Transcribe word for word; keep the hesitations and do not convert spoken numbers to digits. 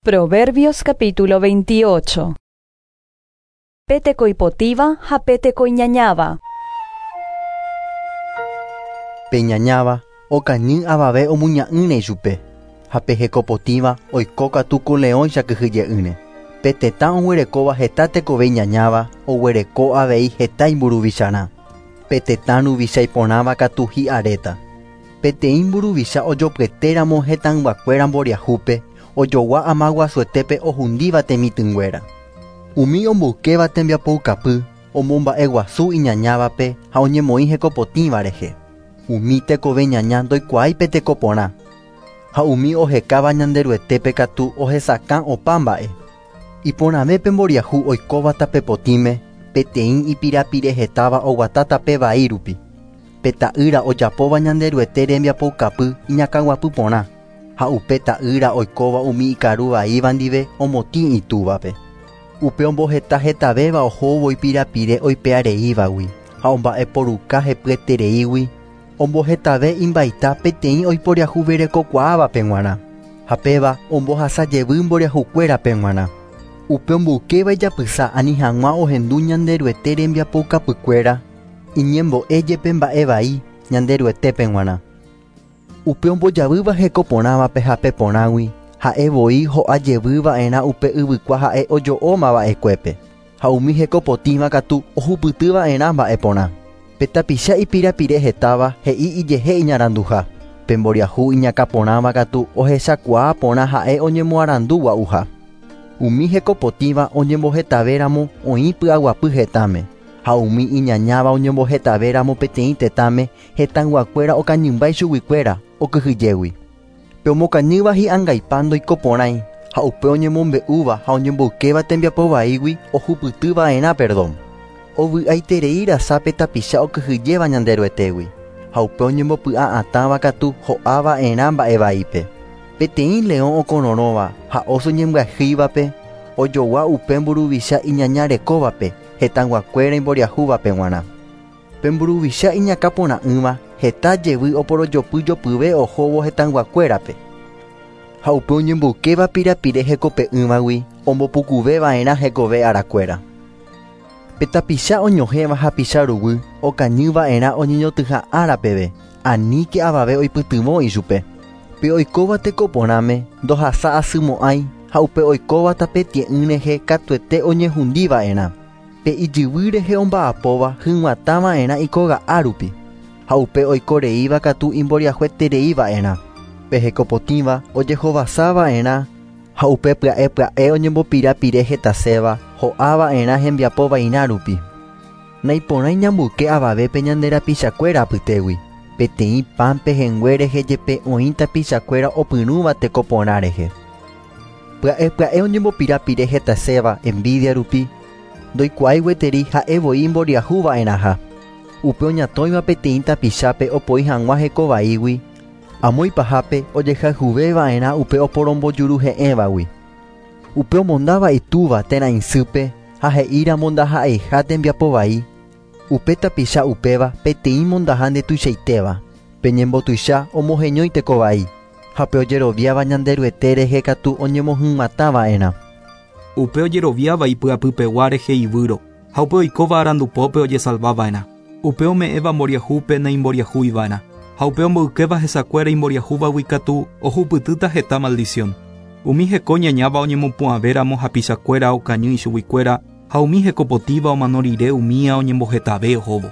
Proverbios capítulo veintiocho. Pe teko ipotĩva ha pe teko iñañáva. Pe iñañáva okañy avave omuña'ỹre ichupe, ha pe hekopotĩva oiko katu ku leõicha kyhyje'ỹre. Pe tetã oguerekóva heta tekove iñañáva oguereko avei heta imburuvicharã. Pe tetã ruvicha iporãva katu hi'aréta. Peteĩ mburuvicha ojopyetéramo hetãyguakuéra mboriahúpe ojogua ama guasuetépe ohundíva temitỹnguéra. Umi omboykéva tembiapoukapy omomba'eguasu iñañávape ha oñemoĩ hekopotĩva rehe. Umi tekove ñaña ndoikuaái pe tekoporã. Ha umi ohekáva Ñanderuetépe katu ohesakã opa mba'e. Iporãve pe mboriahu oikóva tapepotĩme peteĩ ipirapire hetáva oguata tape vai rupi. Pe ta'ýra ojapóva Ñanderuete rembiapoukapy iñakãguapy porã. Ha upe ta'ýra oikóva umi ikaru vaíva ndive omotĩ itúvape. Upe omboheta hetavéva ohóvo ipirapire oipe'areívagui ha omba'eporuka hepyetereígui ombohetave imbaita peteĩ oiporiahuverekokuaávape g̃uarã. Ha péva ombohasa jevy mboriahukuérape g̃uarã. Upe omboykéva ijapysa ani hag̃ua ohendu Ñanderuete rembiapoukapykuéra iñembo'e jepe mba'e vai Ñanderuetépe g̃uarã. Upe ombojavýva hekoporãvape hape porãgui ha'e voi ho'a jevyva'erã upe yvykua ha'e ojo'ómava'ekuépe. Ha umi hekopotĩva katu ohupytyva'erã mba'e porã. Pe tapicha ipirapire hetáva he'i ijehe iñaranduha. Pe mboriahu iñakãporãva katu ohechakuaa porã ha'e oñemoarandugua'uha. Umi hekopotĩva oñembohetavéramo oĩ py'aguapy hetãme. Ha umi iñañáva oñembohetavéramo peteĩ tetãme hetãyguakuéra okañymba ichuguikuéra okyhyjégui. Pe omokañýva hi'angaipa ndoikoporãi ha upe oñemombe'úva ha oñemboykéva tembiapo vaígui ohupytyva'erã perdón. Ovy'aiterei rasa pe tapicha okyhyjéva Ñanderuetégui. Ha upe oñembopy'a'atãva katu ho'ava'erã mba'e vaípe. Peteĩ leõ okororõva ha oso ñembyahýivape ojogua upe mburuvicha iñañarekóvape hetãyguakuéra imboriahúvape g̃uarã. Pe mburuvicha iñakãporã'ỹva heta jevy oporojopyjopyve ohóvo hetãyguakuérape. Ha upe oñemboykéva pirapire hekope'ỹvagui ombopukuveva'erã hekove arakuéra. Pe tapicha oñohẽva hapicha ruguy okañyva'erã oñeñotỹha ára peve, aníke avave oipytyvõ ichupe. Pe oikóva tekoporãme ndohasa asymo'ãi ha upe oikóva tape tie'ỹ rehe katuete oñehundiva'erã. Pe ijyvy rehe omba'apóva hyg̃uatãva'erã ikóga'a rupi. Ha upe oikoreíva katu imboriahuetereiva'erã. Pe hekopotĩva ojehovasava'erã ha upe pya'e pya'e oñembopirapire hetaséva ho'ava'erã hembiapo vairã rupi. Naiporãi ñamboyke avavépe ñande rapichakuéra apytégui. Peteĩ pan pehẽngue rehe jepe oĩ tapichakuéra opyrũva tekoporã rehe. Pya'e pya'e oñembopirapire hetaséva envidia rupi ndoikuaái gueteri ha'e voi imboriahuva'erãha. Upe oñatõiva peteĩ tapichápe opoi hag̃ua hekovaígui amo ipahápe ojehayhuveva'erã upe oporombojuruhe'ẽvagui. Upe omondáva itúva térã isýpe ha he'íramo ndaha'eiha tembiapo vai. Upe tapicha upéva peteĩ mondaha ndetuichaitéva. Pe ñembotuicha omoheñói tekovai. Ha pe ojeroviáva Ñanderuete rehe katu oñemohyg̃uatãva'erã. Upe ojeroviáva ipy'apypegua rehe ivýro, ha upe oikóva arandupópe ojesalvava'erã. Upe ome'ẽva mboriahúpe naimboriahúiva'erã. Ha upe omboykéva hesakuéra imboriahúvagui katu ohupytýta heta maldición. Umi heko ñañáva oñemopu'ãvéramo hapichakuéra okañy ichuguikuéra ha umi hekopotĩva omano rire umía oñembohetave ohóvo.